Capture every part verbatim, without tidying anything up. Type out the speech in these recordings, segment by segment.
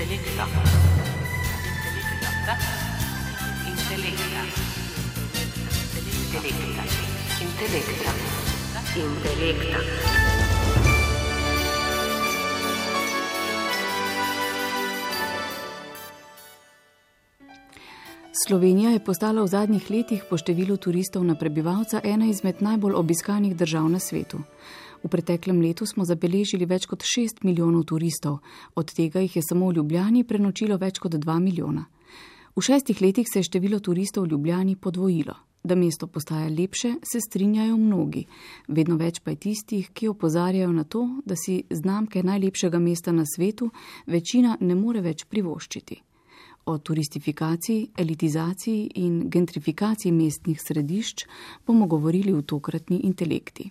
Intelekta. Intelekta. Intelekta. Intelekta. Intelekta. Slovenija je postala v zadnjih letih po številu turistov na prebivalca ena izmed najbolj obiskanih držav na svetu. V preteklem letu smo zabeležili več kot šest milijonov turistov, od tega jih je samo v Ljubljani prenočilo več kot dva milijona. V šestih letih se je število turistov v Ljubljani podvojilo. Da mesto postaja lepše, se strinjajo mnogi. Vedno več pa je tistih, ki opozarjajo na to, da si znamke najlepšega mesta na svetu večina ne more več privoščiti. O turistifikaciji, elitizaciji in gentrifikaciji mestnih središč bomo govorili v tokratni Intelekti.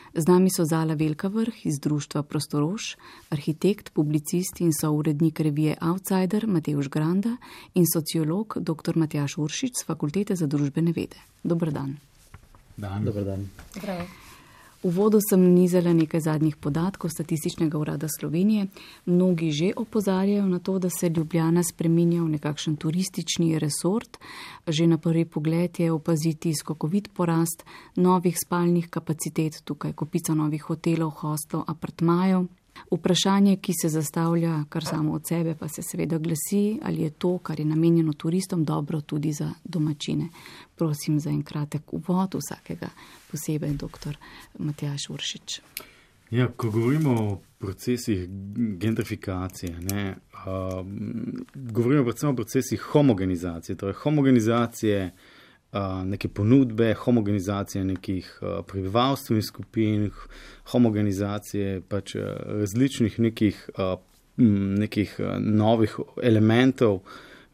Z nami so Zala Velkavrh iz društva Prostorož, arhitekt, publicist in sourednik revije Outsider Matevž Granda in sociolog dr. Matjaž Uršič z Fakultete za družbene vede. Dober dan. Dan. Dober dan. Zdravo. V uvodu sem nizala nekaj zadnjih podatkov Statističnega urada Slovenije. Mnogi že opozarjajo na to, da se Ljubljana spreminja v nekakšen turistični resort. Že na prvi pogled je opaziti skokovit porast novih spalnih kapacitet, tukaj kopica novih hotelov, hostlov, apartmajev. Vprašanje, ki se zastavlja kar samo od sebe, pa se seveda glasi, ali je to, kar je namenjeno turistom, dobro tudi za domačine. Prosim za en kratek uvod vsakega posebej, doktor Matjaž Uršič. Ja, ko govorimo o procesih gentrifikacije, ne, uh, govorimo predvsem o procesih homogenizacije, torej homogenizacije Uh, neke ponudbe, homogenizacije nekih uh, prebivalstvenih skupin, homogenizacije pač uh, različnih nekih, uh, nekih uh, novih elementov,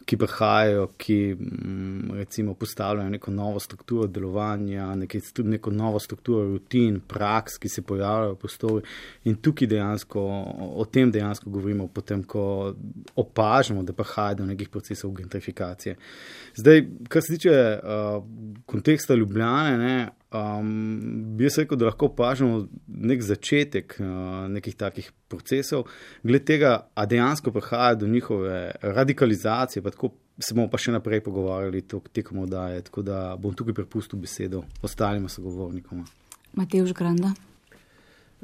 ki prihajajo, ki um, recimo postavljajo neko novo strukturo delovanja, neke, tudi neko novo strukturo rutin, praks, ki se pojavljajo v prostoru. In tukaj dejansko, o tem dejansko govorimo potem, ko opažamo, da prihaja do nekih procesov gentrifikacije. Zdaj, kar se tiče uh, konteksta Ljubljane, ne, um, bi jaz rekel, da lahko opažamo nek začetek uh, nekih takih procesov. Glede tega, a dejansko prihaja do njihove radikalizacije, pa tako se bomo pa še naprej pogovarjali tekom oddaje, tako da bom tukaj prepustil besedo ostalima sogovornikoma. Matevž Granda.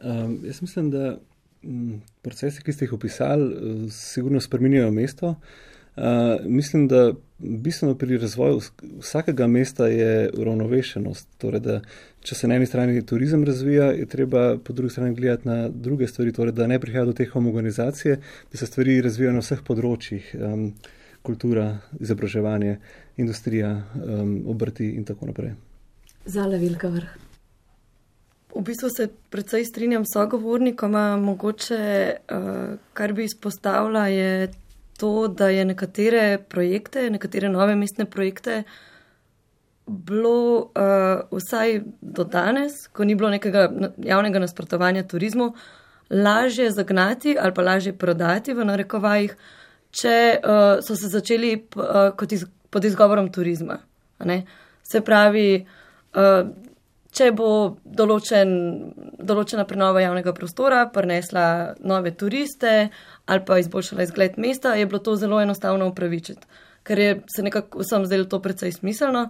Um, jaz mislim, da m, procesi, ki ste jih opisali, sigurno spreminjajo mesto. Uh, mislim, da bistveno pri razvoju vsakega mesta je uravnovešenost. Torej, da če se na eni strani turizem razvija, je treba po drugi strani gledati na druge stvari, torej, da ne prihaja do te homogenizacije, da se stvari razvijajo na vseh področjih, um, kultura, izobraževanje, industrija, um, obrti in tako naprej. Zala Velkavrh. V bistvu se precej strinjam s sogovornikoma, mogoče, uh, kar bi izpostavila, je to, da je nekatere projekte, nekatere nove mestne projekte bilo uh, vsaj do danes, ko ni bilo nekega javnega nasprotovanja turizmu, lažje zagnati ali pa lažje prodati v narekovajih, če uh, so se začeli p, uh, kot iz, pod izgovorom turizma. A ne? Se pravi, uh, če bo določen, določena prenova javnega prostora prinesla nove turiste ali pa izboljšala izgled mesta, je bilo to zelo enostavno upravičiti, ker je se nekako vsem zdelo to precej smiselno.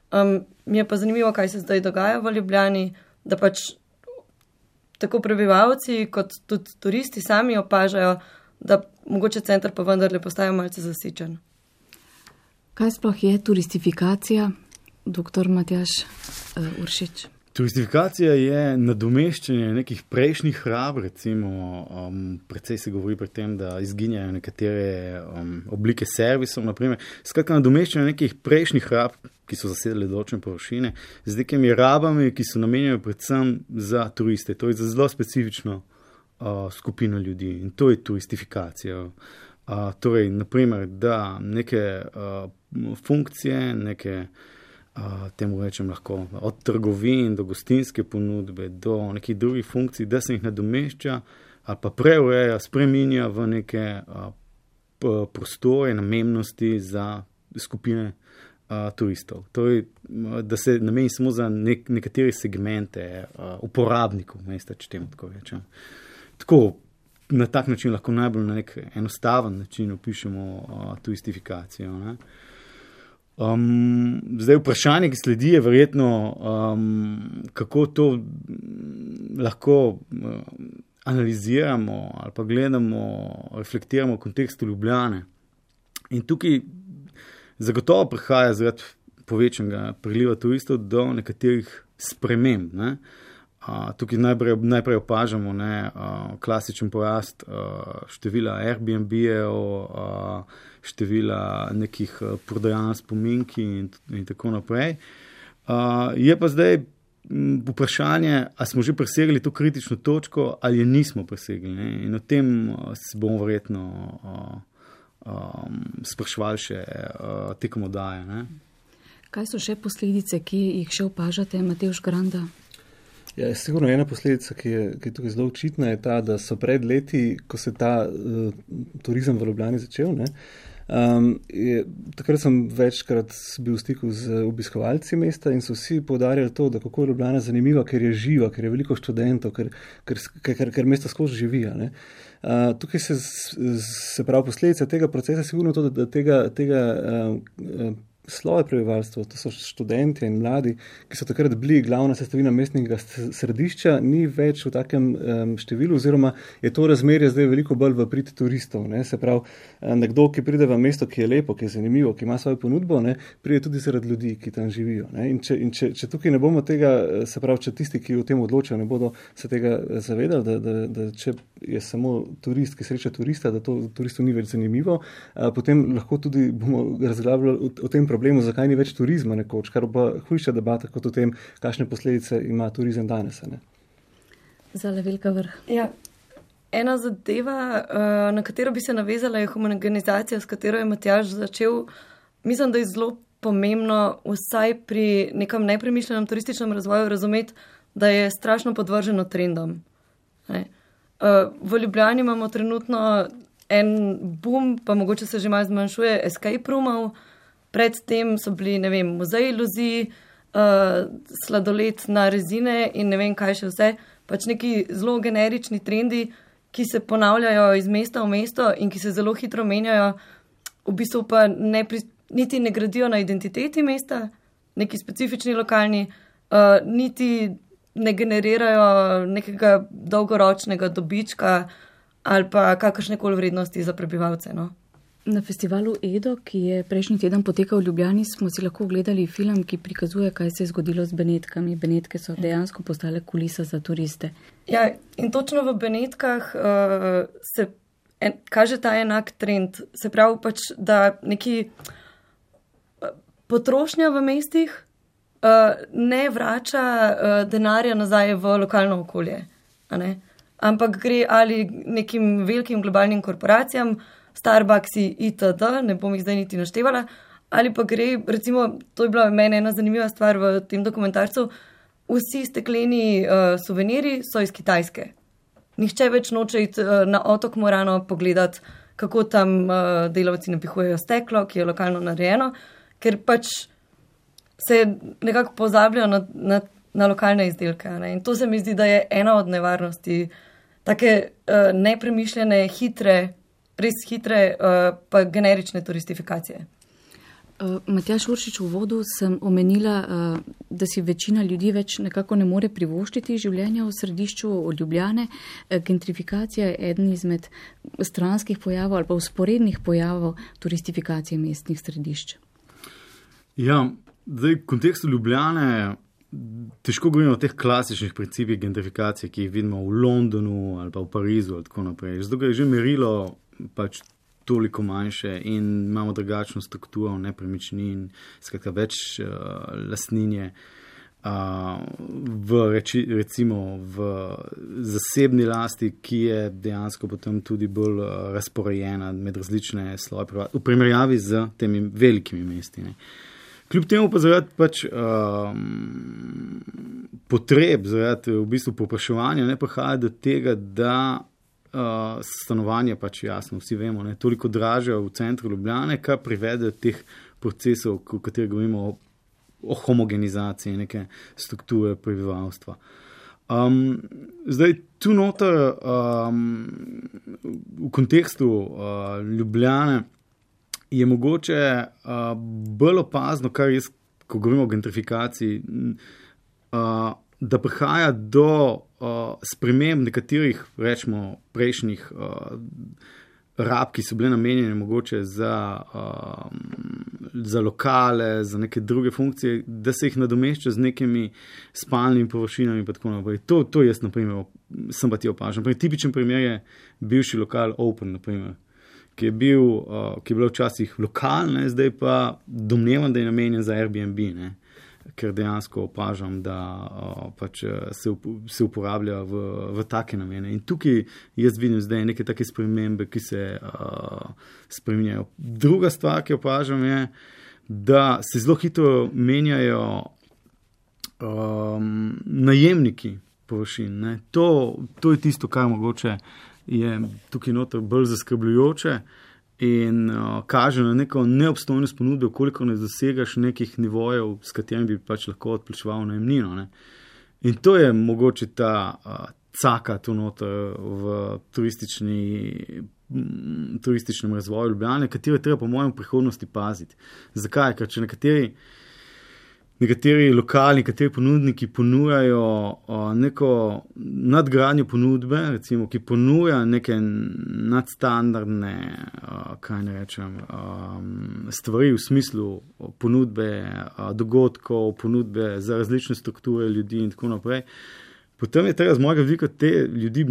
Um, mi je pa zanimivo, kaj se zdaj dogaja v Ljubljani, da pač tako prebivalci kot tudi turisti sami opažajo, da mogoče center pa vendarle postaja malce zasičen. Kaj sploh je turistifikacija, doktor Matjaž uh, Uršič? Turistifikacija je nadomeščanje nekih prejšnjih hrab, recimo, um, precej se govori pri tem, da izginjajo nekatere um, oblike servisov, naprimer. Skratka, nadomeščanje nekih prejšnjih hrab, ki so zasedali določene površine, z nekimi rabami, ki so namenjene predvsem za turiste, to je za zelo specifično uh, skupino ljudi in to je turistifikacija. Uh, torej, naprimer, da neke uh, funkcije, neke Uh, temu rečem lahko, od trgovin do gostinske ponudbe, do nekih drugih funkcij, da se jih nadomešča ali pa preureja, spreminja v neke uh, prostore, namembnosti za skupine uh, turistov. Torej, da se nameni samo za nek, nekatere segmente uh, uporabnikov mesta, če temu tako rečem. Tako, na tak način lahko najbolj na nek enostaven način opišemo uh, turistifikacijo. Ne? Um, zdaj vprašanje, ki sledi, je verjetno, um, kako to lahko uh, analiziramo ali pa gledamo, reflektiramo v kontekstu Ljubljane. In tukaj zagotovo prihaja zaradi povečanega priliva turistov do nekaterih sprememb. Ne? Uh, tukaj najprej, najprej opažamo ne, uh, klasičen porast uh, števila Airbnb-jev, uh, števila nekih uh, prodajanj spominki in, in tako naprej. Uh, je pa zdaj m, vprašanje, ali smo že presegli to kritično točko ali je nismo presegli. Ne? In o tem uh, se bomo verjetno uh, um, sprašvali še uh, tekom oddaje. Ne? Kaj so še posledice, ki jih še opažate, Matevž Granda? Ja, sigurno ena posledica, ki je, ki je tukaj zelo očitna, je ta, da so pred leti, ko se ta uh, turizem v Ljubljani začel, ne, um, je, takrat sem večkrat bil v stiku z obiskovalci mesta in so vsi poudarjali to, da kako je Ljubljana zanimiva, ker je živa, ker je veliko študentov, ker, ker, ker, ker mesto skozi živi. Ne. Uh, tukaj se, se pravi posledica tega procesa je sigurno to, da, da tega, tega uh, sloje prebivalstva, to so študenti in mladi, ki so takrat bili glavna sestavina mestnega središča, ni več v takem um, številu, oziroma je to razmerje zdaj veliko bolj v prid turistov. Ne? Se pravi, nekdo, ki pride v mesto, ki je lepo, ki je zanimivo, ki ima svojo ponudbo, ne? Pride tudi zaradi ljudi, ki tam živijo. Ne? In, če, in če, če tukaj ne bomo tega, se pravi, če tisti, ki o tem odločajo, ne bodo se tega zavedali, da, da, da če je samo turist, ki sreča turista, da to turistu ni več zanimivo, a, potem lahko tudi bomo razglabljali o, o tem problemu, zakaj ni več turizma nekoč, kar pa hujša debata kot o tem, kakšne posledice ima turizem danes. Ne? Zala velika vrh. Ja, ena zadeva, na katero bi se navezala, je homogenizacija, s katero je Matjaž začel. Mislim, da je zelo pomembno vsaj pri nekem nepremišljenem turističnem razvoju razumeti, da je strašno podvrženo trendom. Ne? V Ljubljani imamo trenutno en boom, pa mogoče se že malo zmanjšuje, escape roomov. Predtem so bili, ne vem, muzej iluzij, uh, sladoled na rezine in ne vem kaj še vse. Pač neki zelo generični trendi, ki se ponavljajo iz mesta v mesto in ki se zelo hitro menjajo, v bistvu pa ne pri, niti ne gradijo na identiteti mesta, neki specifični lokalni, uh, niti ne generirajo nekega dolgoročnega dobička ali pa kakršnekoli vrednosti za prebivalce. No? Na festivalu Edo, ki je prejšnji teden potekal v Ljubljani, smo si lahko ogledali film, ki prikazuje, kaj se je zgodilo z Benetkami. Benetke so dejansko postale kulisa za turiste. Ja, in točno v Benetkah uh, se en, kaže ta enak trend. Se pravi pač, da neki potrošnja v mestih uh, ne vrača uh, denarja nazaj v lokalno okolje, a ne? Ampak gre ali nekim velikim globalnim korporacijam, Starbucksi itd., ne bom jih zdaj niti naštevala, ali pa gre, recimo, to je bila meni ena zanimiva stvar v tem dokumentarcu, vsi stekleni uh, suveniri so iz Kitajske. Nihče več noče iti uh, na otok Morano pogledati, kako tam uh, delavci napihujejo steklo, ki je lokalno narejeno, ker pač se nekako pozabljajo na, na, na lokalne izdelke. Ne? In to se mi zdi, da je ena od nevarnosti, take uh, nepremišljene, hitre, res hitre, uh, pa generične turistifikacije. Uh, Matjaž Uršič, v uvodu sem omenila, uh, da si večina ljudi več nekako ne more privoščiti življenja v središču Ljubljane. Uh, gentrifikacija je eden izmed stranskih pojavov ali pa usporednih pojavov turistifikacije mestnih središč. Ja, zdaj v kontekstu Ljubljane težko govorimo o teh klasičnih principih gentrifikacije, ki jih vidimo v Londonu ali pa v Parizu ali tako naprej. Zato je že merilo pač toliko manjše in imamo drugačno strukturo nepremičnin, skratka več uh, lastninje uh, v reči, recimo v zasebni lasti, ki je dejansko potem tudi bolj uh, razporejena med različne sloje v primerjavi z temi velikimi mesti. Ne. Kljub temu pa zaradi pač um, potreb, zaradi v bistvu povpraševanja ne prihaja do tega, da Uh, stanovanje pač jasno, vsi vemo, ne, toliko dražje v centru Ljubljane, kar privede do teh procesov, v katerih govorimo o, o homogenizaciji neke strukture prebivalstva. Um, zdaj, tu noter um, v kontekstu uh, Ljubljane je mogoče uh, bolj opazno, kar jaz, ko govorimo o gentrifikaciji, uh, da prihaja do uh, sprememb nekaterih, rečemo, prejšnjih uh, rab, ki so bile namenjene mogoče za, uh, za lokale, za neke druge funkcije, da se jih nadomešča z nekimi spalnimi površinami in tako naprej. To, to jaz, na primer, sem pa ti opažam. Tipičen primer je bivši lokal Open, na primer, ki je bil, uh, ki je bil včasih lokal, ne, zdaj pa domnevam, da je namenjen za Airbnb, ne, ker dejansko opažam, da uh, pač se, up, se uporablja v, v take namene. In tukaj jaz vidim zdaj neke take spremembe, ki se uh, spreminjajo. Druga stvar, ki opažam, je, da se zelo hitro menjajo um, najemniki površin. Ne. To, to je tisto, kar mogoče je tukaj noter bolj zaskrbljujoče in uh, kaže na neko neobstojnost ponudbe, koliko ne dosegaš nekih nivojev, s katerimi bi pač lahko odplačeval najemnino. Ne. In to je mogoče ta uh, caka tu noter v turistični, m, turističnem razvoju Ljubljane, katero treba po mojem prihodnosti paziti. Zakaj? Ker če nekateri Nekateri lokali, nekateri ponudniki ponujajo uh, neko nadgradnjo ponudbe, recimo, ki ponuja neke nadstandardne, uh, kaj ne rečem, um, stvari v smislu ponudbe uh, dogodkov, ponudbe za različne strukture ljudi in tako naprej. Potem je treba z mojega vidika te ljudi v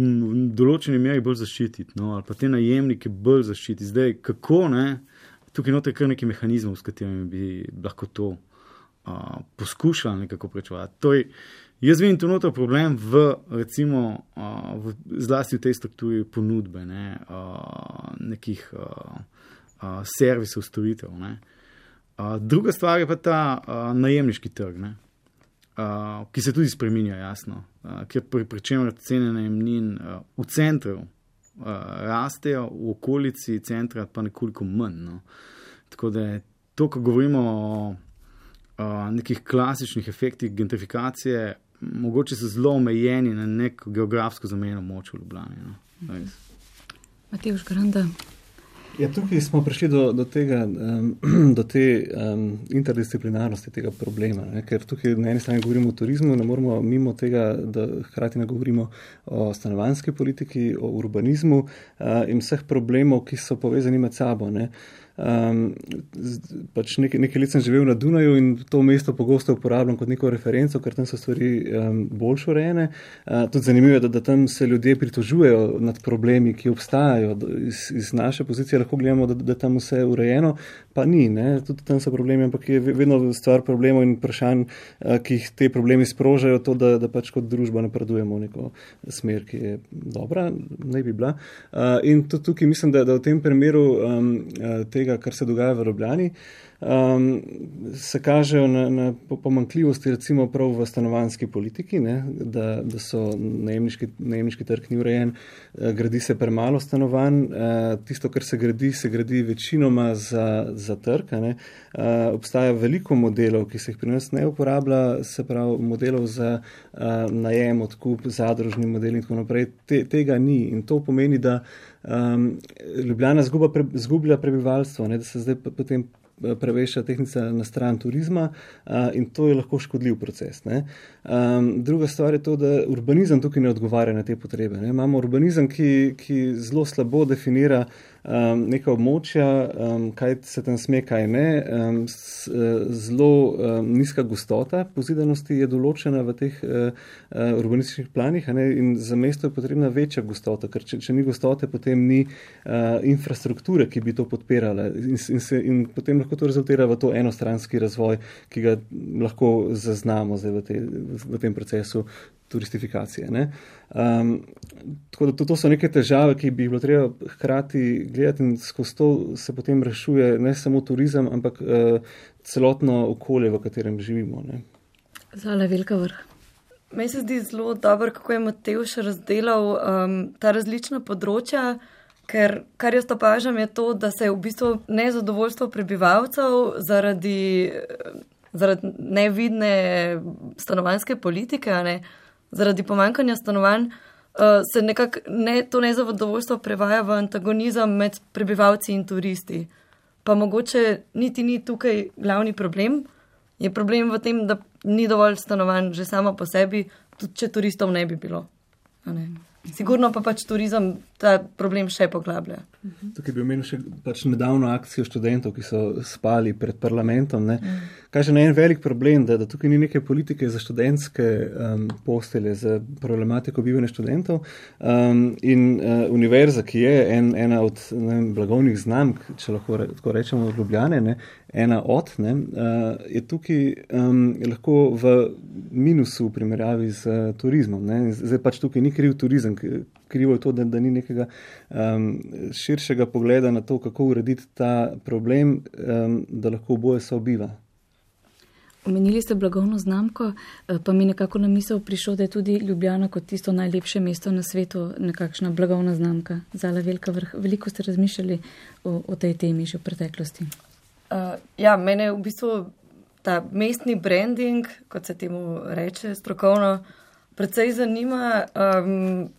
določeni meri bolj zaščititi, no, ali pa te najemnike bolj zaščititi. Zdaj, kako, ne, tukaj noter kar neki mehanizmov, s katerimi bi lahko to Uh, poskušala nekako prečevati. Torej, jaz vidim tu noter problem v, recimo, uh, v, zlasti v tej strukturi ponudbe, ne, uh, nekih uh, uh, servisov, storitev. Ne. Uh, druga stvar je pa ta uh, najemniški trg, ne, uh, ki se tudi spreminja, jasno, uh, ker pri, pri čemer cene najemnin uh, v centru uh, rastejo, v okolici centra pa nekoliko manj. No. Tako da je to, ko govorimo o Uh, nekih klasičnih efektih gentrifikacije, mogoče so zelo omejeni na nek geografsko zamejeno moč v Ljubljani. No? Matevž Granda. Ja, tukaj smo prišli do, do tega, um, do te um, interdisciplinarnosti tega problema, ne? Ker tukaj na eni strani govorimo o turizmu, ne moramo mimo tega, da hkrati ne govorimo o stanovanjski politiki, o urbanizmu uh, in vseh problemov, ki so povezani med sabo, ne? Um, pač nekaj, nekaj let sem živel na Dunaju in to mesto pogosto uporabljam kot neko referenco, ker tam so stvari um, bolj urejene. Uh, tudi zanimivo je, da, da tam se ljudje pritožujejo nad problemi, ki obstajajo. Iz, iz naše pozicije lahko gledamo, da, da tam vse je urejeno, pa ni. Ne? Tudi tam so problemi, ampak je vedno stvar problemov in vprašanj, uh, ki jih te problemi sprožajo, to, da, da pač kot družba napredujemo v neko smer, ki je dobra, naj bi bila. Uh, in tudi tukaj mislim, da, da v tem primeru um, te kar se dogaja v Ljubljani, um, se kažejo na, na pomanjkljivosti recimo prav v stanovanjski politiki, ne, da, da so najemniški, najemniški trg ni urejen, gradi se premalo stanovanj, tisto, kar se gradi, se gradi večinoma za, za trg. Ne. Obstaja veliko modelov, ki se jih pri nas ne uporablja, se pravi modelov za najem, odkup, zadružni model in tako naprej. Te, tega ni in to pomeni, da um, Ljubljana zguba, pre, zgublja prebivalstvo, ne, da se zdaj potem preveša tehnica na stran turizma uh, in to je lahko škodljiv proces. Ne. Um, druga stvar je to, da urbanizem tukaj ne odgovarja na te potrebe. Ne. Imamo urbanizem, ki, ki zelo slabo definira um, neka območja, um, kaj se tam sme, kaj ne. Um, s, zelo um, nizka gostota pozidanosti je določena v teh uh, uh, urbanističnih planih, a ne, in za mesto je potrebna večja gostota, ker če, če ni gostote, potem ni uh, infrastrukture, ki bi to podpirala in, in, se, in potem lahko to rezultira v to enostranski razvoj, ki ga lahko zaznamo zdaj v, te, v tem procesu turistifikacije. Ne? Um, tako da to, to so neke težave, ki bi bilo treba hkrati gledati in skozi to se potem rešuje ne samo turizem, ampak uh, celotno okolje, v katerem živimo. Ne? Zala Velika Vrh. Meni se zdi zelo dobro, kako je Matevž razdelal um, ta različna področja, ker kar jaz opažam je to, da se je v bistvu nezadovoljstvo prebivalcev zaradi, zaradi nevidne stanovanjske politike, ne, zaradi pomanjkanja stanovanj uh, se nekako ne, to nezadovoljstvo prevaja v antagonizem med prebivalci in turisti. Pa mogoče niti ni tukaj glavni problem. Je problem v tem, da ni dovolj stanovanj že samo po sebi, tudi če turistov ne bi bilo. Ne? Sigurno pa pač turizem ta problem še poglablja. Tukaj bi omenil še pač nedavno akcijo študentov, ki so spali pred parlamentom. Ne. Kaže na en velik problem, da, da tukaj ni neke politike za študentske um, postelje, za problematiko bivanja študentov. Um, in uh, univerza, ki je en, ena od ne, blagovnih znamk, če lahko re, tako rečemo, od Ljubljane, ne, ena od, ne, uh, je tukaj um, lahko v minusu v primerjavi z uh, turizmom. Ne. Zdaj pač tukaj ni kriv turizem, krivo je to, da, da ni nekega um, širšega pogleda na to, kako urediti ta problem, um, da lahko oboje sobiva. Omenili ste blagovno znamko, pa mi nekako na misel prišlo, da je tudi Ljubljana kot tisto najlepše mesto na svetu nekakšna blagovna znamka. Zala Velika Vrh. Veliko ste razmišljali o, o tej temi že v preteklosti. Uh, ja, mene v bistvu ta mestni branding, kot se temu reče strokovno, predvsej zanima. Um,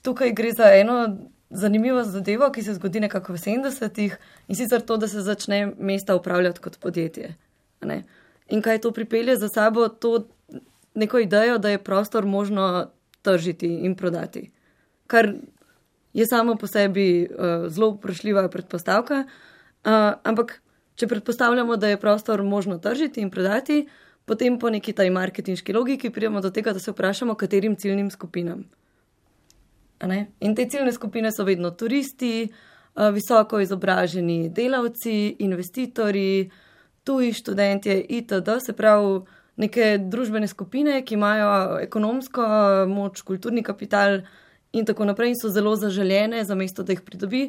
tukaj gre za eno zanimivo zadevo, ki se zgodi nekako v sedemdesetih in sicer to, da se začne mesta upravljati kot podjetje. Ne? In kaj to pripelje za sabo, to neko idejo, da je prostor možno tržiti in prodati. Kar je samo po sebi uh, zelo vprašljiva predpostavka, uh, ampak če predpostavljamo, da je prostor možno tržiti in prodati, potem po neki taj marketinški logiki pridemo do tega, da se vprašamo, katerim ciljnim skupinam. In te ciljne skupine so vedno turisti, uh, visoko izobraženi delavci, investitorji, tuji študentje itd., se pravi neke družbene skupine, ki imajo ekonomsko moč, kulturni kapital in tako naprej in so zelo zaželjene za mesto, da jih pridobi,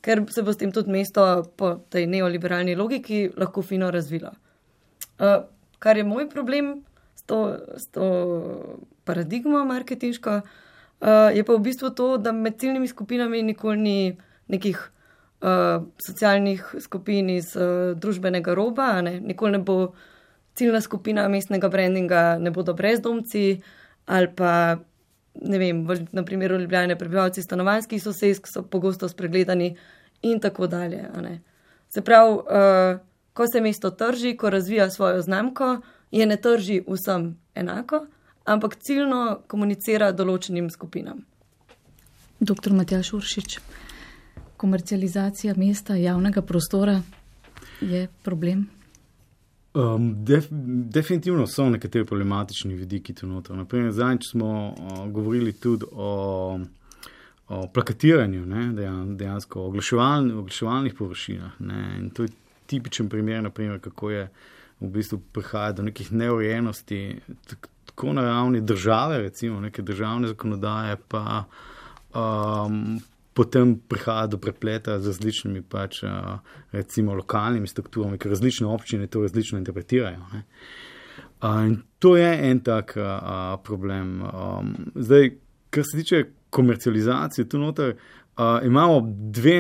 ker se bo s tem tudi mesto po tej neoliberalni logiki lahko fino razvilo. Uh, kar je moj problem s to, s to paradigmo marketinško, uh, je pa v bistvu to, da med ciljnimi skupinami nikoli ni nekih Uh, socialnih skupin iz uh, družbenega roba, ne? Nikoli ne bo ciljna skupina mestnega brandinga, ne bodo brezdomci ali pa, ne vem, v, na primeru Ljubljane prebivalci stanovanjskih sosesk so pogosto spregledani in tako dalje. Ne? Se pravi, uh, ko se mesto trži, ko razvija svojo znamko, je ne trži vsem enako, ampak ciljno komunicira določenim skupinam. Doktor Matjaž Uršič, komercializacija mesta, javnega prostora je problem? Um, def, definitivno so nekateri problematični vidiki tu noter. Naprimer, zadnjič smo uh, govorili tudi o, o plakatiranju, ne, dejansko oglaševalni, oglaševalnih površinah. Ne, in to je tipičen primer, naprimer, kako je v bistvu prihaja do nekih neurejenosti, tako na ravni države, recimo neke državne zakonodaje, pa um, potem prihaja do prepleta z različnimi pač, recimo, lokalnimi strukturami, ker različne občine to različno interpretirajo. Ne. In to je en tak a, problem. Zdaj, kar se tiče komercializacije, tu noter a, imamo dve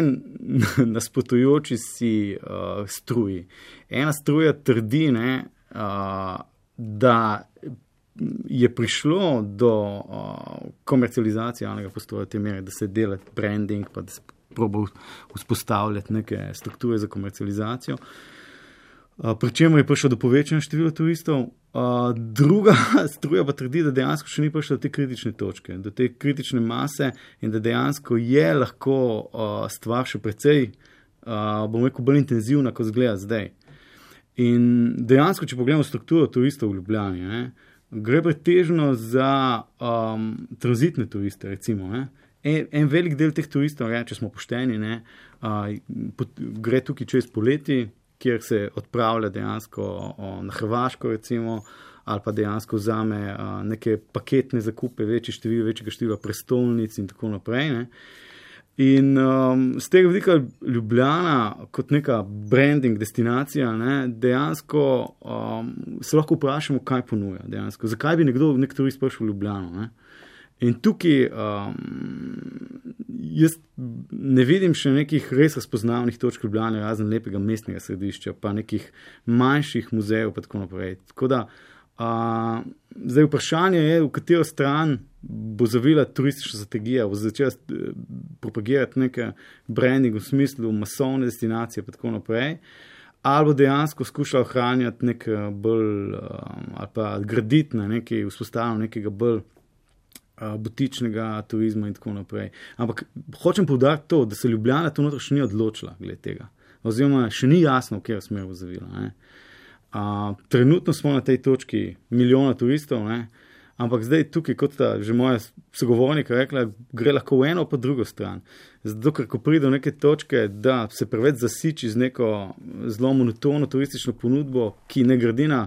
nasprotujoči si a, struji. Ena struja trdi, ne, a, da je prišlo do uh, komercializacije javnega prostora te mere, da se dela branding, pa da se proba vzpostavljati neke strukture za komercializacijo. Uh, pri čemer je prišlo do povečanja števila turistov. Uh, druga struja pa trdi, da dejansko še ni prišlo do te kritične točke, do te kritične mase in da dejansko je lahko uh, stvar še precej, uh, bom rekel, bolj intenzivna, kot zgleda zdaj. In dejansko, če pogledamo strukturo turistov v Ljubljani, ne, gre pretežno za um, tranzitne turiste, recimo. Ne? En, en velik del teh turistov, ne, če smo pošteni, ne, uh, pot, gre tukaj čez poleti, kjer se odpravlja dejansko o, na Hrvaško, recimo, ali pa dejansko vzame uh, neke paketne zakupe, večje število, večjega števila prestolnic in tako naprej. Ne? In um, z tega vidika Ljubljana kot neka branding destinacija, ne, dejansko um, se lahko vprašamo, kaj ponuja dejansko. Zakaj bi nekdo, nek turist prišel v Ljubljano? Ne? In tukaj um, jaz ne vidim še nekih res razpoznavnih točk Ljubljane, razen lepega mestnega središča, pa nekih manjših muzejev, pa tako naprej. Tako da Uh, zdaj vprašanje je, v katero stran bo zavila turistična strategija, bo začela propagirati neke branding v smislu masovne destinacije in tako naprej, ali bo dejansko skušala ohranjati nek bolj, um, ali pa graditi na nekaj, vzpostavljanje nekega bolj uh, butičnega turizma in tako naprej. Ampak hočem poudariti to, da se Ljubljana to notro še ni odločila glede tega, oziroma še ni jasno, v katero smer bo zavila, ne. Uh, trenutno smo na tej točki milijona turistov, ne? Ampak zdaj tukaj, kot sta že moja sogovornika rekla, gre lahko v eno pa drugo stran. Zato, ker ko pride do neke točke, da se preveč zasiči z neko zelo monotono turistično ponudbo, ki ne gradi na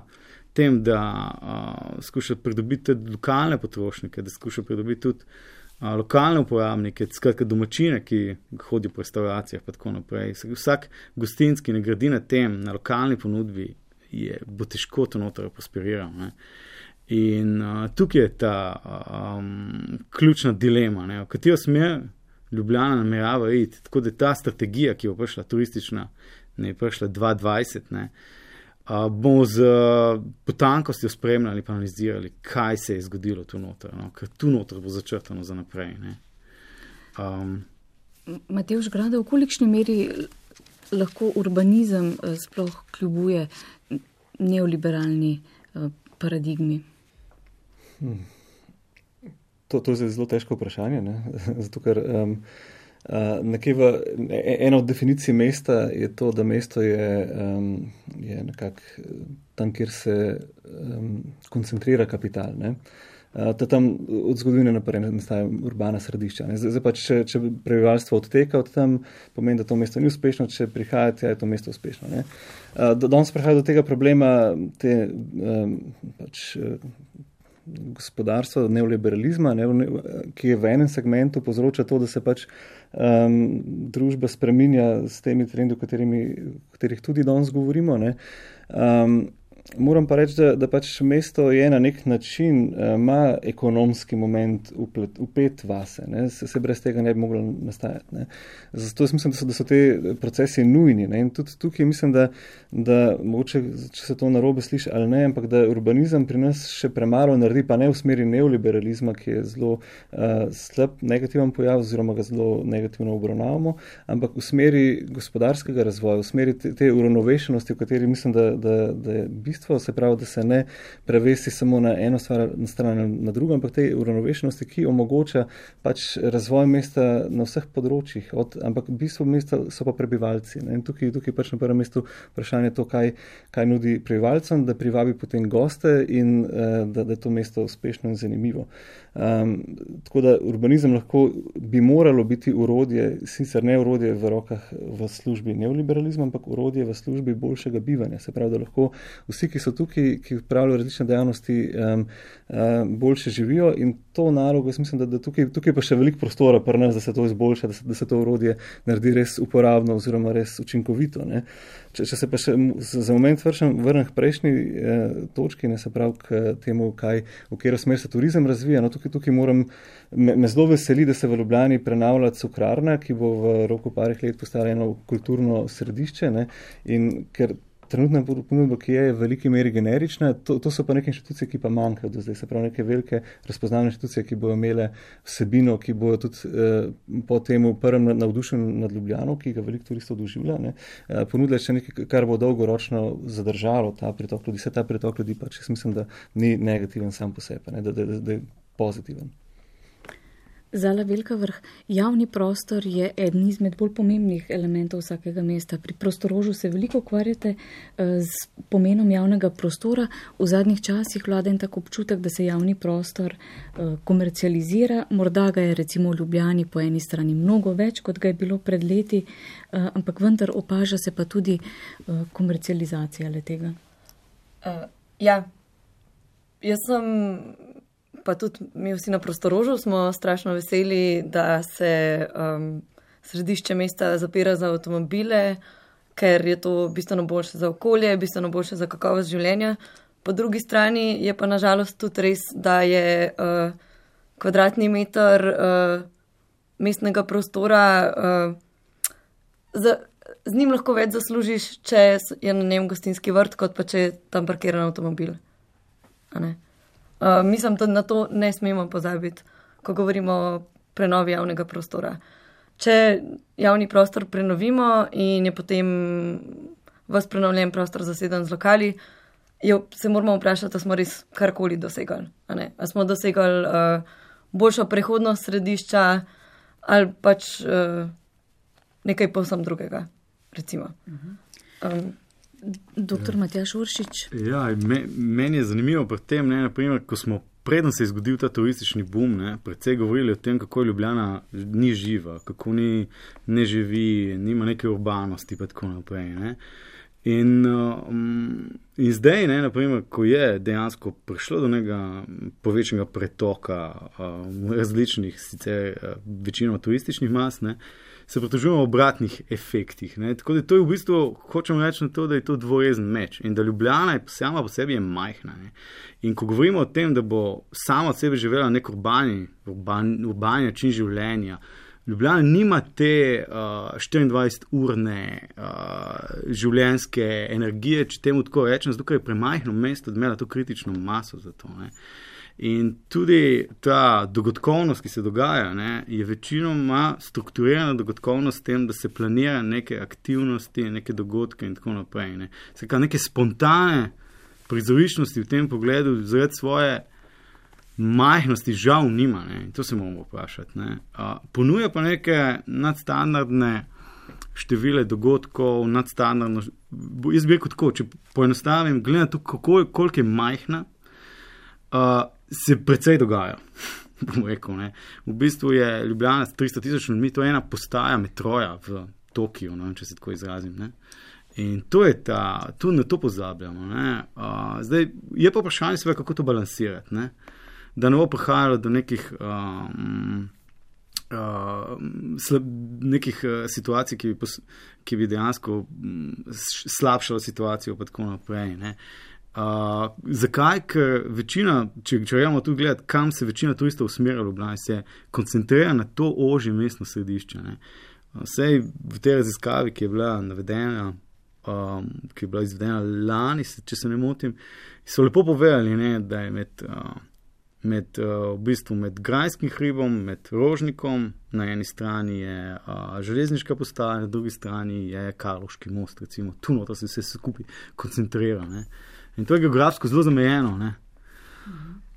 tem, da uh, skuša pridobiti tudi lokalne potrošnike, da skuša pridobiti tudi uh, lokalne uporabnike, skratka domačine, ki hodijo po restauracijah pa tako naprej. Vsak gostinc, ki ne gradi na tem, na lokalni ponudbi, je, bo težko to noter prosperiral. Ne? In uh, tukaj je ta um, ključna dilema, ne? V katero smer Ljubljana namerava iti. Tako da ta strategija, ki bo prišla turistična, ne je prišla dva tisoč dvajset, ne, uh, bomo z uh, potankostjo spremljali pa analizirali, kaj se je zgodilo tu noter, no? Ker tu noter bo začrtano za naprej. Ne? Um, Matevž Grada, v kolikšni meri lahko urbanizem sploh kljubuje neoliberalni uh, paradigmi? Hmm. To, to je zelo težko vprašanje, ne? Zato ker um, uh, nekje v, ena od definicij mesta je to, da mesto je, um, je nekako tam, kjer se um, koncentrira kapital, ne? Uh, tam od zgodovine naprej nastaja urbana središča. Ne? Zdaj pa, če, če prebivalstvo odteka od tam, pomeni, da to mesto ni uspešno, če prihajate, je to mesto uspešno. Ne? Uh, danes prihaja do tega problema, te, um, pač, gospodarstva, neoliberalizma, ne, ki je v enem segmentu povzroča to, da se pač um, družba spreminja s temi trendi, o katerih tudi danes govorimo. Ne. Um, moram pa reči, da, da pač mesto je na nek način, ima uh, ekonomski moment uplet, upet vase, ne. Se, se brez tega ne bi moglo nastajati. Ne. Zato jaz mislim, da so, da so te procesi nujni. Ne. In tudi tukaj mislim, da, da mogoče, če se to narobe sliši ali ne, ampak da urbanizem pri nas še premalo naredi, pa ne v smeri neoliberalizma, ki je zelo uh, slab, negativen pojav, oziroma ga zelo negativno obravnavamo, ampak v smeri gospodarskega razvoja, v smeri te, te uravnovešenosti, v kateri mislim, da, da, da je bistvo, se pravi, da se ne prevesi samo na eno stvar, na stran na drugo, ampak te uravnovešenosti, ki omogoča pač razvoj mesta na vseh področjih, od, ampak bistvo mesta so pa prebivalci. Ne? In tukaj, tukaj pač na prvem mestu vprašanje to, kaj, kaj nudi prebivalcem, da privabi potem goste in uh, da, da je to mesto uspešno in zanimivo. Um, tako da urbanizem lahko bi moralo biti urodje, sicer ne urodje v rokah v službi neoliberalizma, ampak urodje v službi boljšega bivanja. Se pravi, da lahko vsi, ki so tukaj, ki upravljajo različne dejavnosti, um, um, boljše živijo in to nalogo, jaz mislim, da, da tukaj, tukaj pa še veliko prostora pri nas, da se to izboljša, da se, da se to urodje naredi res uporabno oziroma res učinkovito. Ne. Če, če se pa še za moment vrnem k prejšnji eh, točki, ne, se pravi k temu, kaj, v katero smer se turizem razvija, no tukaj, tukaj moram, me, me zelo veseli, da se v Ljubljani prenavlja cukrarna, ki bo v roku parih let postala eno kulturno središče, ne, in ker trenutna ponudba, ki je v veliki meri generična, to, to so pa neke inštitucije, ki pa manjkajo do zdaj. Se pravi, neke velike razpoznavne inštitucije, ki bodo imele vsebino, ki bodo tudi eh, po temu prvem navdušenju nad Ljubljano, ki ga veliko turistov doživlja, ne, eh, ponudile še nekaj, kar bo dolgoročno zadržalo ta pritok ljudi. Se ta pritok ljudi pač, jaz mislim, da ni negativen sam po sebi, ne, da, da, da, da je pozitiven. Zala Velika Vrh, javni prostor je eden izmed bolj pomembnih elementov vsakega mesta. Pri Prostorožu se veliko ukvarjate z pomenom javnega prostora. V zadnjih časih vlada en tak občutek, da se javni prostor komercializira. Morda ga je recimo v Ljubljani po eni strani mnogo več, kot ga je bilo pred leti, ampak vendar opaža se pa tudi komercializacija le-tega. Uh, ja, jaz sem... Pa tudi mi vsi na Prostorožu smo strašno veseli, da se um, središče mesta zapira za avtomobile, ker je to bistveno boljše za okolje, bistveno boljše za kakovost življenja. Po drugi strani je pa nažalost tudi res, da je uh, kvadratni meter uh, mestnega prostora, uh, z, z njim lahko več zaslužiš, če je na njem gostinski vrt, kot pa če je tam parkiran avtomobil. Uh, mislim, da na to ne smemo pozabiti, ko govorimo o prenovi javnega prostora. Če javni prostor prenovimo in je potem vas prenovljen prostor zaseden z lokali, jo, se moramo vprašati, da smo res karkoli dosegali. A ne? A smo dosegali uh, boljšo prehodnost središča ali pač uh, nekaj povsem drugega, recimo. Um, Doktor Matjaž Uršič. Ja, me, meni je zanimivo pri tem, ne, naprimer, ko smo preden se je zgodil ta turistični boom, ne, predvsej govorili o tem, kako Ljubljana ni živa, kako ni, ne živi, nima neke urbanosti pa tako naprej. Ne. In, um, in zdaj, ne, naprimer, ko je dejansko prišlo do nekega povečnega pretoka um, različnih, sicer večinoma turističnih mas, ne, se pritožujemo o obratnih efektih. Ne. Tako da to je v bistvu, hočem reči na to, da je to dvorezen meč in da Ljubljana je sama po sebi je majhna. Ne. In ko govorimo o tem, da bo sama od sebe živela nek urbani, urban, urbani način življenja, Ljubljana nima te uh, štiriindvajseturne uh, življenjske energije, če temu tako rečem, zato ker je premajhno mesto, da imela to kritično maso za to. Ne. In tudi ta dogodkovnost, ki se dogaja, ne, je večinoma strukturirana dogodkovnost s tem, da se planira neke aktivnosti, neke dogodke in tako naprej. Ne. Sekaj neke spontane prizoriščnosti v tem pogledu zaradi svoje majhnosti žal nima, ne, in to se moramo vprašati. Ne. A, ponuja pa neke nadstandardne števile dogodkov, nadstandardno, jaz bi rekel tako, če poenostavim, glede na to, koliko je majhna, a, se precej dogaja, bom rekel. Ne. V bistvu je Ljubljana s tristo tisoč ljudmi, to je ena postaja metroja v Tokiju, ne, če se tako izrazim. Ne. In to je ta, tu na to pozabljamo. Ne. A, zdaj, je pa vprašanje seveda, kako to balansirati, ne. Da ne bo prihajalo do nekih, um, uh, slab, nekih uh, situacij, ki bi, pos, ki bi dejansko um, slabšalo situacijo pa tako naprej. Ne. Uh, zakaj? Ker večina, če gremo tu gledati, kam se večina turistov usmerja v Ljubljani, se koncentrira na to ožje mestno središče. Ne. Vsej v tej raziskavi, ki je bila navedena, um, ki je bila izvedena lani, če se ne motim, so lepo povedali, ne, da je med... Uh, Med, uh, v bistvu med Grajskim hribom, med Rožnikom, na eni strani je uh, železniška postaja, na drugi strani je Karlovški most, recimo, tu noto se vse skupaj koncentrira. Ne. In to je geografsko zelo zamejeno. Ne.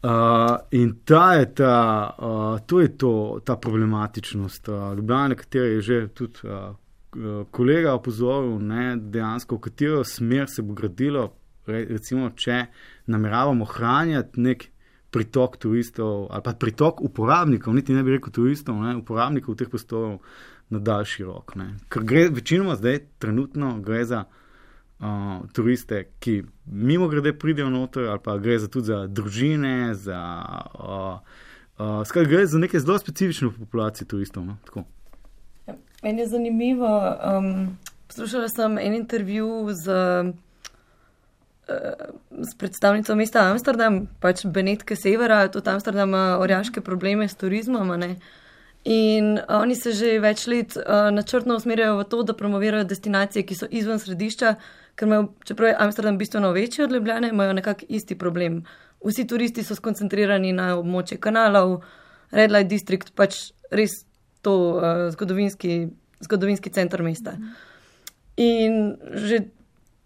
Uh, in ta je ta, uh, to je to, ta problematičnost uh, Ljubljane, katero je že tudi uh, kolega opozoril, ne, dejansko, v katero smer se bo gradilo, recimo, če nameravamo ohranjati nek pritok turistov ali pa pritok uporabnikov, niti ne bi rekel turistov, ne, uporabnikov teh prostorov na daljši rok. Ne. Ker gre večinoma zdaj trenutno gre za uh, turiste, ki mimo grede pridejo noter, ali pa gre za tudi za družine, za uh, uh, skaj gre za neke zelo specifične populacije turistov. No, tako. Ja, meni je zanimivo, um, poslušala sem en intervju z s predstavnico mesta Amsterdam, pač Benetke Severa, tudi Amsterdam ima orjaške probleme s turizmom, ne? In oni se že več let uh, načrtno usmerjajo v to, da promovirajo destinacije, ki so izven središča, ker imajo, čeprav je Amsterdam bistveno večji od Ljubljane, imajo nekak isti problem. Vsi turisti so skoncentrirani na območje kanalov, Red Light District, pač res to uh, zgodovinski, zgodovinski center mesta. In že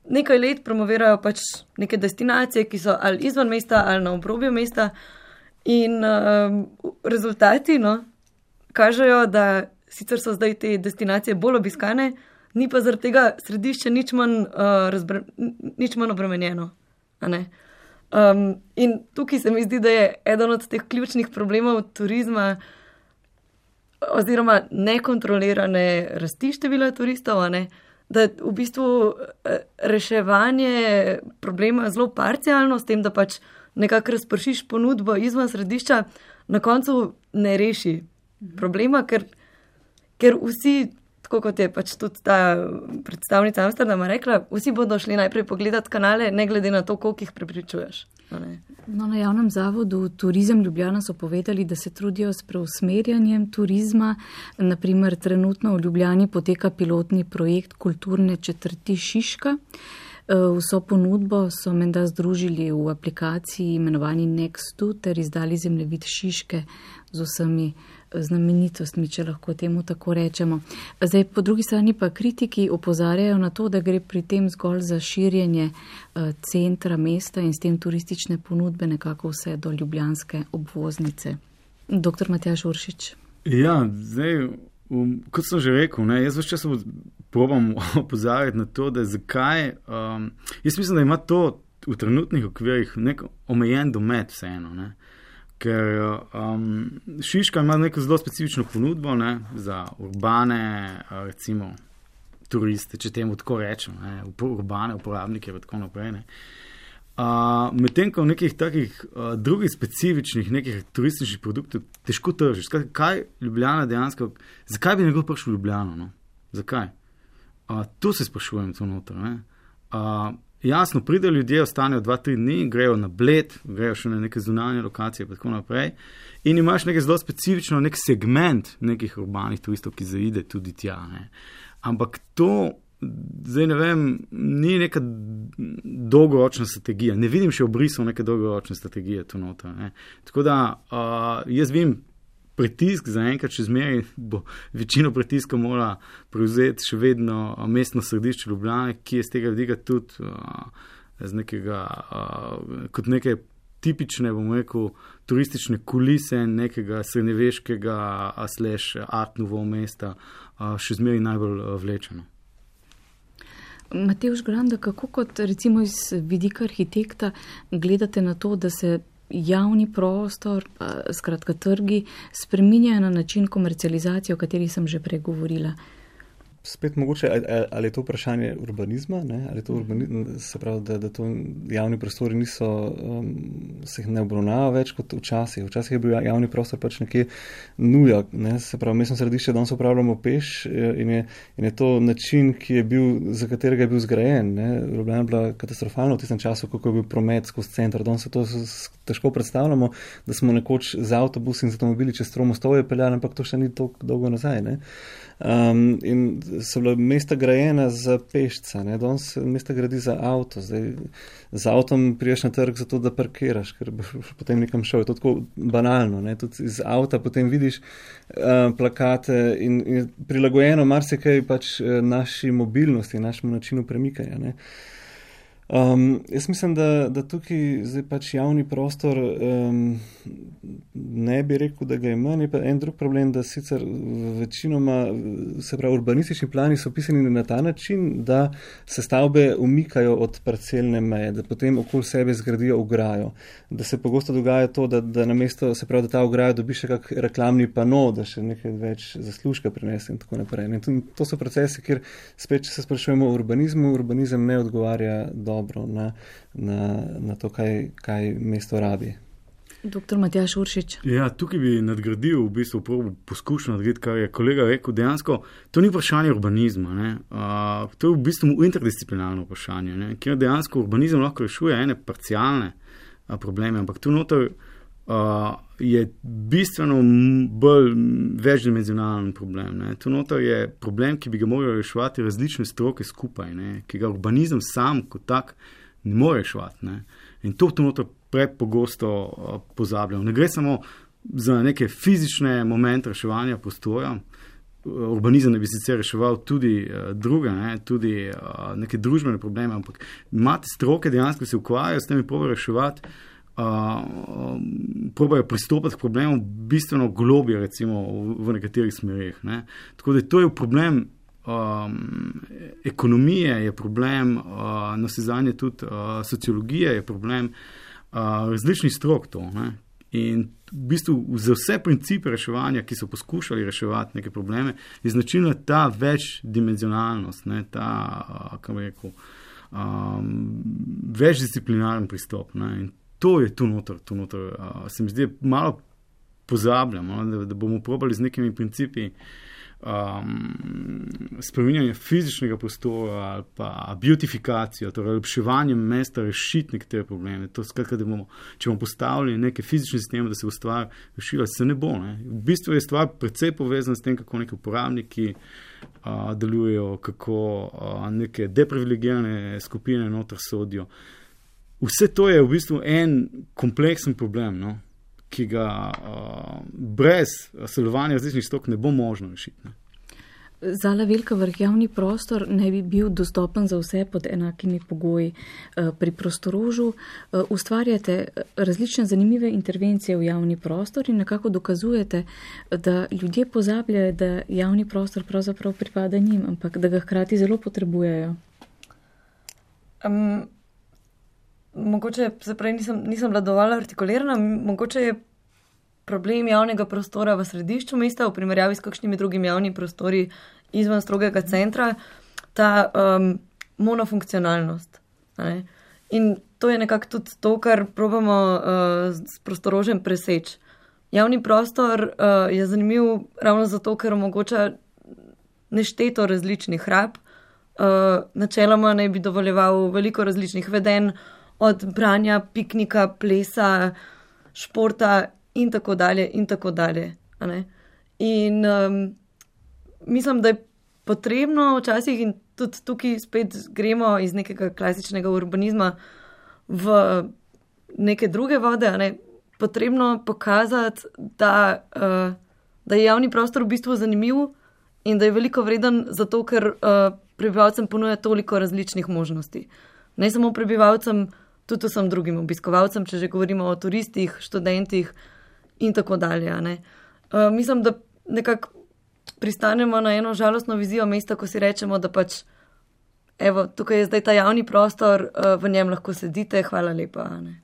nekaj let promovirajo pač neke destinacije, ki so ali izven mesta, ali na obrobju mesta. In um, rezultati, no, kažejo, da sicer so zdaj te destinacije bolj obiskane, ni pa zaradi tega središče nič manj, uh, razbre, nič manj obremenjeno. A ne? Um, in tukaj se mi zdi, da je eden od teh ključnih problemov turizma oziroma nekontrolirane rasti števila turistov, a ne? Da v bistvu reševanje problema zelo parcialno, s tem, da pač nekako razpršiš ponudbo izven središča, na koncu ne reši problema, ker, ker vsi, tako kot je pač tudi ta predstavnica Amsterdama rekla, vsi bodo šli najprej pogledati kanale, ne glede na to, koliko jih prepričuješ. No, na javnem zavodu Turizem Ljubljana so povedali, da se trudijo s preusmerjanjem turizma. Naprimer, trenutno v Ljubljani poteka pilotni projekt kulturne četrti Šiška. Vso ponudbo so menda združili v aplikaciji imenovani Nextu ter izdali zemljevid Šiške z vsemi znamenitostmi, če lahko temu tako rečemo. Zdaj, po drugi strani pa kritiki opozarjajo na to, da gre pri tem zgolj za širjenje centra mesta in s tem turistične ponudbe nekako vse do ljubljanske obvoznice. Doktor Matjaž Uršič. Ja, zdaj, um, kot sem že rekel, ne, jaz več čas probam opozarjati na to, da zakaj, um, jaz mislim, da ima to v trenutnih okvirih nek omejen domet vseeno, ne. Ker um, Šiška ima neko zelo specifično ponudbo, ne, za urbane, recimo, turiste, če temu tako rečem, ne, urbane uporabnike in tako naprej. Ne. Uh, Medtem, ko v nekih takih uh, drugih specifičnih nekih turističnih produktov težko tržiš. Kaj, kaj Ljubljana dejansko, zakaj bi nekdo prišel v Ljubljano? No? Zakaj? Uh, tu se sprašujem to noter. Ne? Uh, Jasno, pridejo ljudje, ostanejo dva, tri dni, grejo na Bled, grejo še na neke zunanje lokacije in tako naprej. In imaš nekaj zelo specifično, nek segment nekih urbanih turistov, ki zaide tudi tja. Ne. Ampak to, zdaj ne vem, ni neka dolgoročna strategija. Ne vidim še obrisov neke dolgoročne strategije tu noter. Ne. Tako da uh, jaz vidim pritisk za enkrat, če zmeri, bo večino pritiska mora prevzeti še vedno mestno središče Ljubljane, ki je z tega vidika tudi uh, z nekega, uh, kot neke tipične, bomo rekel, turistične kulise nekega srednjeveškega slash art nouveau mesta uh, še zmeri najbolj uh, vlečeno. Matevž Granda, kako kot recimo iz vidika arhitekta gledate na to, da se javni prostor, skratka trgi, spreminjajo na način komercializacije, o kateri sem že prej govorila? Spet mogoče, ali je to vprašanje urbanizma, ne? Ali je to urbanizm, se pravi, da, da to javni prostori niso, um, se jih ne obravnava več kot včasih. Včasih je bil javni prostor pač nekje nuja, ne? Se pravi, mestno središče danes upravljamo peš in je, in je to način, ki je bil, za katerega je bil zgrajen, ne? Ljubljana je bila katastrofalna v tistem času, kako je bil promet skozi center. Danes se to težko predstavljamo, da smo nekoč z avtobusi in z avtomobili čez Tromostovje peljali, ampak to še ni toliko dolgo nazaj, ne? Um, in so bila mesta grajena za pešca, ne? Danes mesta gradi za avto. Zdaj, z avtom priješ na trg zato, da parkiraš, ker boš potem nekam šel. Je to tako banalno, ne? Tudi iz avta potem vidiš uh, plakate in, in prilagojeno marsikaj pač naši mobilnosti, našemu načinu premikanja, ne? Um, jaz mislim, da, da tukaj zdaj pač javni prostor um, ne bi rekel, da ga je manj, je pa en drug problem, da sicer večinoma, se pravi, urbanistični plani so pisani na ta način, da se stavbe umikajo od parcelne meje, da potem okoli sebe zgradijo ograjo, da se pogosto dogaja to, da, da namesto, se pravi, da ta ograja dobi še kak reklamni pano, da še nekaj več zaslužka prinese in tako naprej. In to, to so procesi, kjer spet, če se sprašujemo o urbanizmu, urbanizem ne odgovarja do dobro na, na, na to, kaj, kaj mesto rabi. Doktor Matjaž Uršič. Ja, tukaj bi nadgradil, v bistvu poskušal nadgraditi, kar je kolega rekel. Dejansko, to ni vprašanje urbanizma. Ne? Uh, to je v bistvu interdisciplinarno vprašanje, ne? Kjer dejansko urbanizem lahko rešuje ene parcialne uh, probleme, ampak tu noter uh, je bistveno bolj večdimenzionalen problem. Ne? Tu noter je problem, ki bi ga morali reševati različne stroke skupaj, ne? Ki ga urbanizem sam kot tak ne more reševati. Ne? In to tu noter prepogosto uh, pozabljamo. Ne gre samo za neke fizične momente reševanja prostora. Urbanizem ne bi sicer reševal tudi uh, druge, ne? Tudi uh, neke družbene probleme, ampak imate stroke dejansko se ukvarjajo s temi probajo reševati, Uh, probajo pristopati k problemom bistveno globje, recimo v, v nekaterih smerih. Ne. Tako da to je problem um, ekonomije, je problem uh, nasezanje tudi uh, sociologije, je problem uh, različnih strok to. Ne. In v bistvu za vse principe reševanja, ki so poskušali reševati neke probleme, je značilna ta večdimenzionalnost, ne, ta, uh, kako bi rekel, um, večdisciplinaren pristop. Ne. In to je tu noter, tu noter. Uh, se mi zdi, malo pozabljamo, da, da bomo probali z nekimi principi um, spreminjanje fizičnega prostora ali pa beautifikacijo, torej lepševanje mesta rešiti nekatere probleme. To skratka, da bomo, če bomo postavili neke fizične sisteme, da se bo stvar rešila, se ne bo. Ne? V bistvu je stvar precej povezana s tem, kako neki uporabniki uh, delujejo, kako uh, neke deprivilegirane skupine noter sodijo. Vse to je v bistvu en kompleksen problem, no? Ki ga uh, brez sodelovanja različnih stok ne bo možno rešiti. Ne? Zala Velika Vrh, javni prostor ne bi bil dostopen za vse pod enakimi pogoji. Pri Prostorožu ustvarjate različne zanimive intervencije v javni prostor in nekako dokazujete, da ljudje pozabljajo, da javni prostor pravzaprav pripada njim, ampak da ga hkrati zelo potrebujejo. Um, mogoče se prej nisem, nisem bila dovolj artikulirana, mogoče je problem javnega prostora v središču mesta v primerjavi s kakšnimi drugimi javnimi prostori izven strogega centra, ta um, monofunkcionalnost. Ne? In to je nekako tudi to, kar probamo uh, s Prostorožem preseči. Javni prostor uh, je zanimiv ravno zato, ker omogoča nešteto različnih rab. Uh, načeloma naj bi dovoljeval veliko različnih vedenj, od branja, piknika, plesa, športa in tako dalje, in tako dalje. In um, mislim, da je potrebno včasih, in tudi tukaj spet gremo iz nekega klasičnega urbanizma v neke druge vode, ne, potrebno pokazati, da, uh, da je javni prostor v bistvu zanimiv in da je veliko vreden zato, ker uh, prebivalcem ponuja toliko različnih možnosti. Ne samo prebivalcem, tudi vsem drugim obiskovalcem, če že govorimo o turistih, študentih in tako dalje. Ne. Uh, mislim, da nekako pristanemo na eno žalostno vizijo mesta, ko si rečemo, da pač evo, tukaj je zdaj ta javni prostor, uh, v njem lahko sedite, hvala lepa. Ne.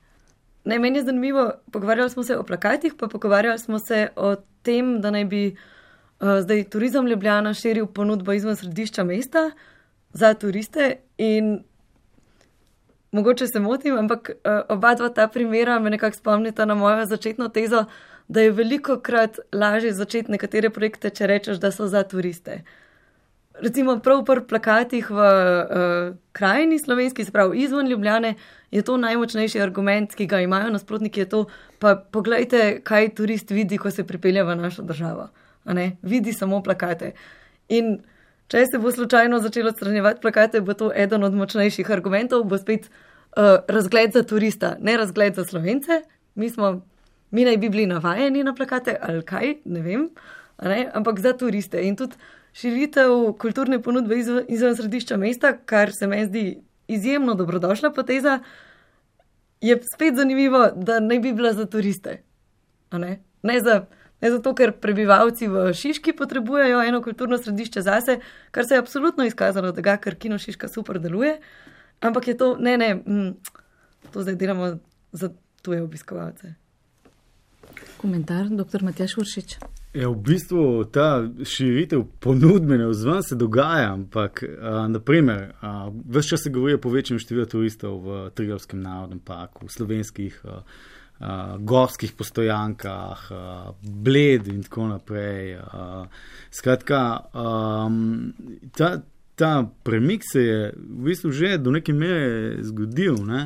Ne, meni je zanimivo, pogovarjali smo se o plakatih, pa pogovarjali smo se o tem, da naj bi uh, zdaj Turizem Ljubljana širil ponudbo izven središča mesta za turiste in mogoče se motim, ampak uh, oba dva ta primera me nekako spomnita na mojo začetno tezo, da je veliko krat lažje začeti nekatere projekte, če rečeš, da so za turiste. Recimo prav pri plakatih v uh, krajini slovenski, se pravi izven Ljubljane, je to najmočnejši argument, ki ga imajo nasprotniki, je to, pa poglejte, kaj turist vidi, ko se pripelje v našo državo. A ne? Vidi samo plakate. In če se bo slučajno začelo odstranjevati plakate, bo to eden od močnejših argumentov, bo spet uh, razgled za turista, ne razgled za Slovence. Mi smo, mi naj bi bili navajeni na plakate, ali kaj, ne vem, a ne? Ampak za turiste. In tudi širitev kulturne ponudbe izven, izven središča mesta, kar se meni zdi izjemno dobrodošla poteza, je spet zanimivo, da naj bi bila za turiste. A ne? Ne za Ne zato, ker prebivalci v Šiški potrebujejo eno kulturno središče zase, kar se je absolutno izkazalo, da ga, ker Kino Šiška super deluje, ampak je to, ne, ne, mm, to zdaj delamo za tuje obiskovalce. Komentar, doktor Matjaž Uršič. Ja, v bistvu ta širitev ponudbene vzven se dogaja, ampak a, naprimer, a, ves čas se govori o povečanju števila turistov v Triglavskem narodnem parku, v slovenskih a, Uh, gorskih postojankah, uh, Bled in tako naprej. Uh, skratka, um, ta, ta premik se je v bistvu že do neke mere zgodil, ne?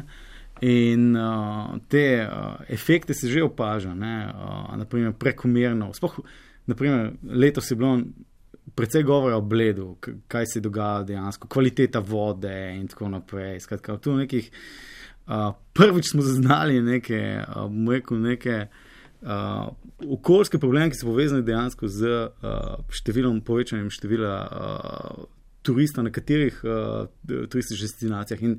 In uh, te uh, efekte se že opaža, ne? Uh, naprimer prekomerno. Spoh, naprimer, letos je bilo precej govora o Bledu, kaj se dogaja dejansko, kvaliteta vode in tako naprej. Skratka, tu nekih Uh, prvič smo zaznali neke, uh, bom rekel, neke uh, okoljske probleme, ki so povezani dejansko z uh, številom, povečanjem števila uh, turistov na katerih uh, turističnih destinacijah. In,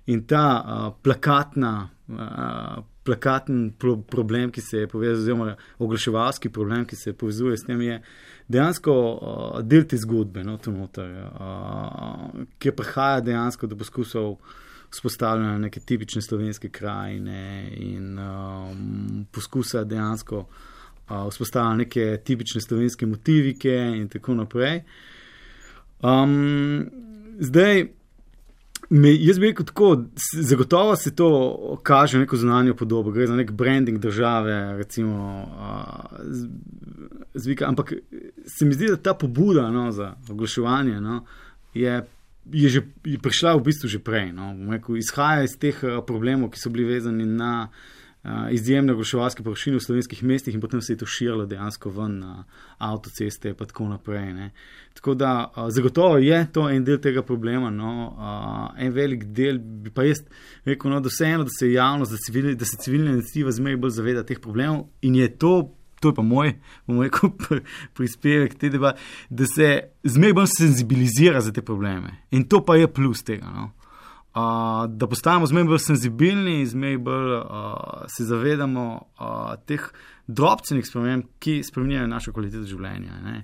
in ta uh, plakatna, uh, plakaten pro- problem, ki se je povezal, oziroma oglaševalski problem, ki se povezuje s tem, je dejansko uh, del te zgodbe, no, to noter, uh, ki prihaja dejansko do poskusov vzpostavljanja neke tipične slovenske krajine in um, poskusa dejansko uh, vzpostavljanja neke tipične slovenske motivike in tako naprej. Um, zdaj, me, jaz bi rekel tako, zagotovo se to kaže neko zunanjo podobo, gre za nek branding države, recimo, uh, z, zvika, ampak se mi zdi, da ta pobuda no, za oglaševanje no, je, je, že, je prišla v bistvu že prej. No. Rekel, izhaja iz teh problemov, ki so bili vezani na uh, izjemne oglaševalske površine v slovenskih mestih in potem se je to širilo dejansko ven na avtoceste in tako naprej. Ne. Tako da uh, zagotovo je to en del tega problema, no, uh, en velik del bi pa jaz rekel, no, da vseeno, da se javnost, da, civil, da se civilna iniciativa zmeraj bolj zaveda teh problemov in je to, to je pa moj, bom rekel, prispevek te debate, da se zmeraj bolj senzibilizira za te probleme. In to pa je plus tega, no. Uh, da postajamo zmeraj bolj senzibilni, zmeraj bolj uh, se zavedamo uh, teh drobcenih sprememb, ki spreminjajo našo kvaliteto življenja. Ne?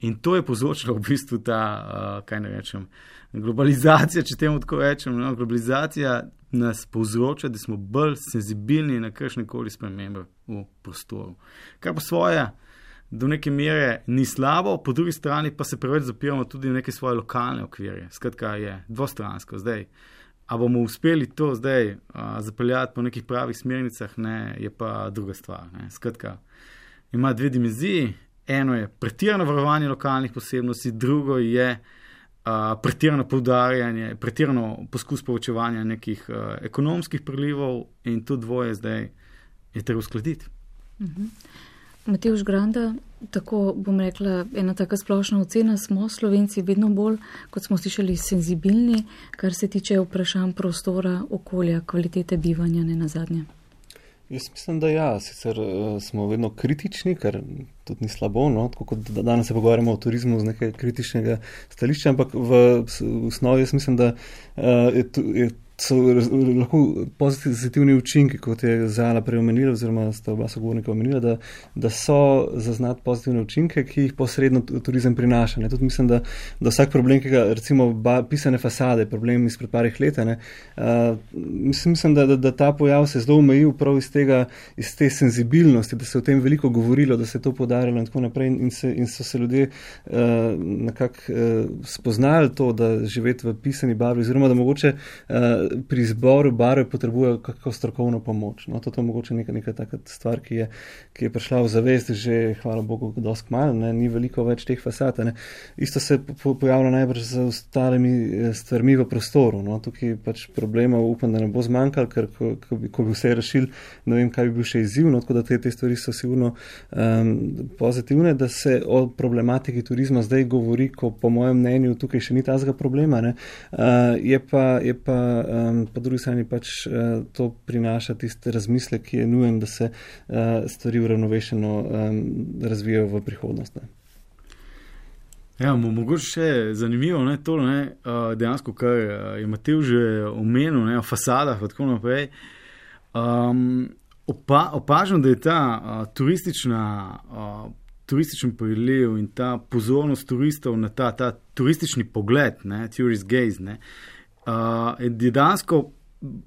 In to je povzročilo v bistvu ta, uh, kaj ne rečem, globalizacija, če temu tako rečem. No? Globalizacija nas povzroča, da smo bolj senzibilni na kakšnekoli spremembe v prostoru. Kar po svoje do neke mere ni slabo, po drugi strani pa se preveč zapiramo tudi v neke svoje lokalne okvirje. Skratka je dvostransko zdaj. A bomo uspeli to zdaj a, zapeljati po nekih pravih smernicah, ne, je pa druga stvar. Ne. Skratka, ima dve dimenziji. Eno je pretirano varovanje lokalnih posebnosti, drugo je a, pretirano poudarjanje, pretirano poskus povečevanja nekih a, ekonomskih prilivov in to dvoje zdaj je treba uskladiti. Mhm. Matevž Granda, tako bom rekla, ena taka splošna ocena, smo Slovenci vedno bolj, kot smo slišali, senzibilni, kar se tiče vprašanj prostora, okolja, kvalitete bivanja, ne nazadnje. Jaz mislim, da ja, sicer uh, smo vedno kritični, kar tudi ni slabo, no? Tako kot danes se pogovarjamo o turizmu z nekaj kritičnega stališča, ampak v, v osnovi jaz mislim, da uh, je, je so lahko pozitivni učinki, kot je Zala prej omenila, oziroma sta oba sogovornika omenila, da, da so zaznati pozitivne učinke, ki jih posredno turizem prinaša. Ne. Tudi mislim, da, da vsak problem, ki ga recimo ba, pisane fasade, problem izpred parih let, ne, uh, mislim, mislim da, da, da ta pojav se je zelo omejil prav iz tega, iz te senzibilnosti, da se o tem veliko govorilo, da se je to podarilo in tako naprej in, se, in so se ljudje uh, nekako uh, spoznali to, da živeti v pisani barvi, oziroma da mogoče uh, pri izboru barve potrebujejo kakšno strokovno pomoč. No, to je mogoče neka, neka taka stvar, ki je, ki je prišla v zavest že, hvala Bogu, dosti kmalu, ni veliko več teh fasad. Ne. Isto se po, pojavlja najbrž z ostalimi stvarmi v prostoru. No. Tukaj pač problemov upam, da ne bo zmanjkalo, ker ko, ko, bi, ko bi vse rešili, ne vem, kaj bi bil še izziv, no, tako da te, te stvari so sigurno um, pozitivne, da se o problematiki turizma zdaj govori, ko po mojem mnenju tukaj še ni tazga problema. Ne. Uh, je pa, je pa Um, po drugi strani pač uh, to prinaša tiste razmisle, ki je nujen, da se uh, stvari uravnovešeno um, razvijajo v prihodnost. Ne. Ja, mogoče še zanimivo, ne, to, ne, uh, dejansko, kar je Matevž že omenil, ne, o fasadah in tako naprej. Um, opa, opažam, da je ta uh, turistična, uh, turističen priliv in ta pozornost turistov na ta, ta turistični pogled, ne, tourist gaze, ne, Uh, je dejansko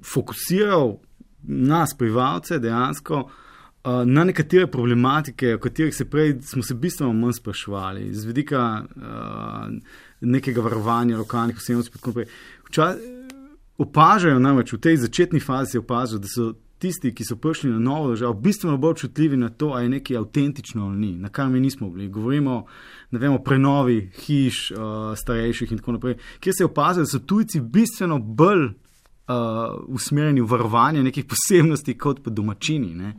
fokusiral nas, prebivalce, dejansko uh, na nekatere problematike, o katerih se prej smo se bistveno manj spraševali, z vidika uh, nekega varovanja lokalnih posebnosti. Opažajo namreč v tej začetni fazi, se opažajo, da so tisti, ki so prišli na novo državo, bistveno bolj čutljivi na to, ali je nekaj avtentično ali ni, na kar mi nismo bili. Govorimo ne vem, o prenovi hiš, uh, starejših in tako naprej, kjer se je opazilo, da so tujci bistveno bolj uh, usmerjeni v varovanje nekih posebnosti kot pa domačini. Ne?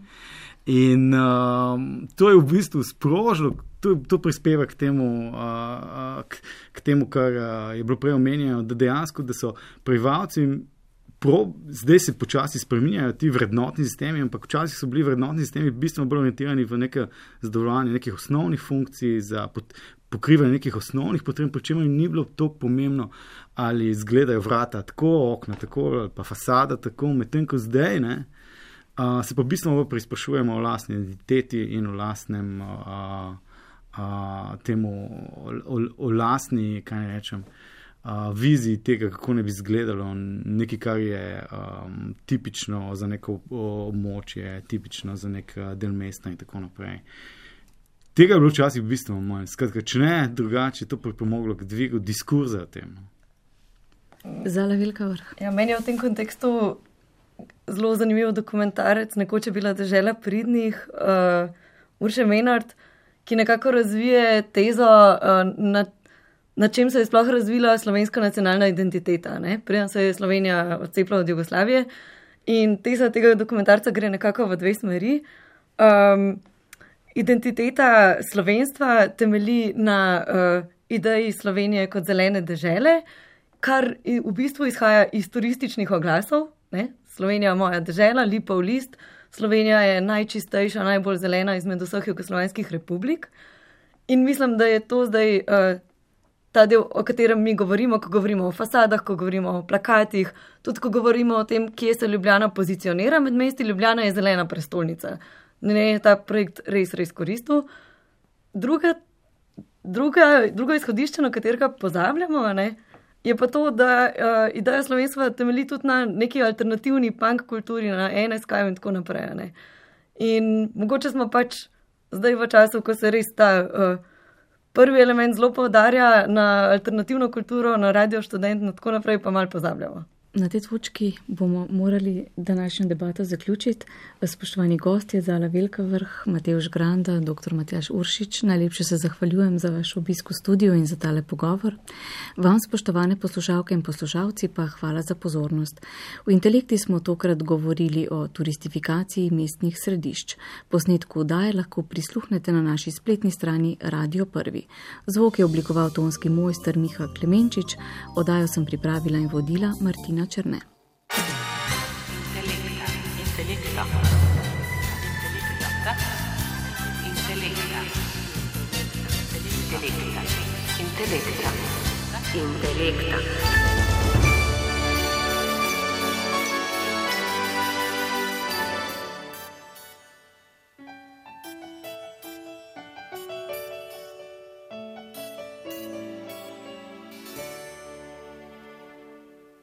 In uh, to je v bistvu sprožilo, to, to prispeva k temu, uh, k, k temu, kar uh, je bilo prej omenjeno, da dejansko, da so prebivalci Pro, zdaj se počasi spreminjajo ti vrednotni sistemi, ampak včasih so bili vrednotni sistemi bistveno bolj orientirani v neke zadovoljanje nekih osnovnih funkcij, za pot, pokrivanje nekih osnovnih potreb, pri čemer ni bilo toliko pomembno, ali izgledajo vrata tako, okna tako, ali pa fasada tako, medtem ko zdaj, ne, uh, se pa bistveno bolj preizprašujemo o lastni identiteti in o lastnem, uh, uh, temu, o, o, o lastni, kaj ne rečem, Uh, viziji tega, kako ne bi izgledalo, nekaj, kar je um, tipično za neko območje, tipično za nek del mesta in tako naprej. Tega je bilo včasih bistveno manj. Skratka, če ne, drugače je to pripomoglo k dvigu diskurza o tem. Zala Velika Vrh. Ja, meni je v tem kontekstu zelo zanimiv dokumentarec, nekoč je bila dežela pridnih, uh, Urše Menard, ki nekako razvije tezo, uh, na, na čem se je sploh razvila slovenska nacionalna identiteta. Preden se je Slovenija odcepila od Jugoslavije in teza tega dokumentarca gre nekako v dve smeri. Um, identiteta slovenstva temelji na uh, ideji Slovenije kot zelene dežele, kar v bistvu izhaja iz turističnih oglasov. Ne? Slovenija je moja dežela, Lipov list, Slovenija je najčistejša, najbolj zelena izmed vseh jugoslovanskih republik. In mislim, da je to zdaj uh, ta del, o katerem mi govorimo, ko govorimo o fasadah, ko govorimo o plakatih, tudi ko govorimo o tem, kje se Ljubljana pozicionira med mesti. Ljubljana je zelena prestolnica. Ne je ta projekt res, res koristil. Druga, druga, drugo izhodišče, na katerega pozabljamo, ne, je pa to, da uh, ideja slovenstva temelji tudi na neki alternativni punk kulturi, na en es ka in tako naprej. Ne. In mogoče smo pač zdaj v času, ko se res ta uh, prvi element zelo poudarja na alternativno kulturo, na Radio Študent in tako naprej, pa malo pozabljamo. Na tej točki bomo morali današnjo debato zaključiti. Spoštovani gostje, Zala Velka Vrh, Matevž Granda, doktor Matjaž Uršič, najlepše se zahvaljujem za vaš obisk v studiu in za tale pogovor. Vam, spoštovane poslušalke in poslušalci, pa hvala za pozornost. V Intelekti smo tokrat govorili o turistifikaciji mestnih središč. Posnetku oddaje lahko prisluhnete na naši spletni strani Radio Prvi. Zvok je oblikoval tonski mojster Miha Klemenčič, oddajo sem pripravila in vodila Martina Černe. Intelekta. Intelekta. Intelekta. Intelekta. Intelekta. Intelekta.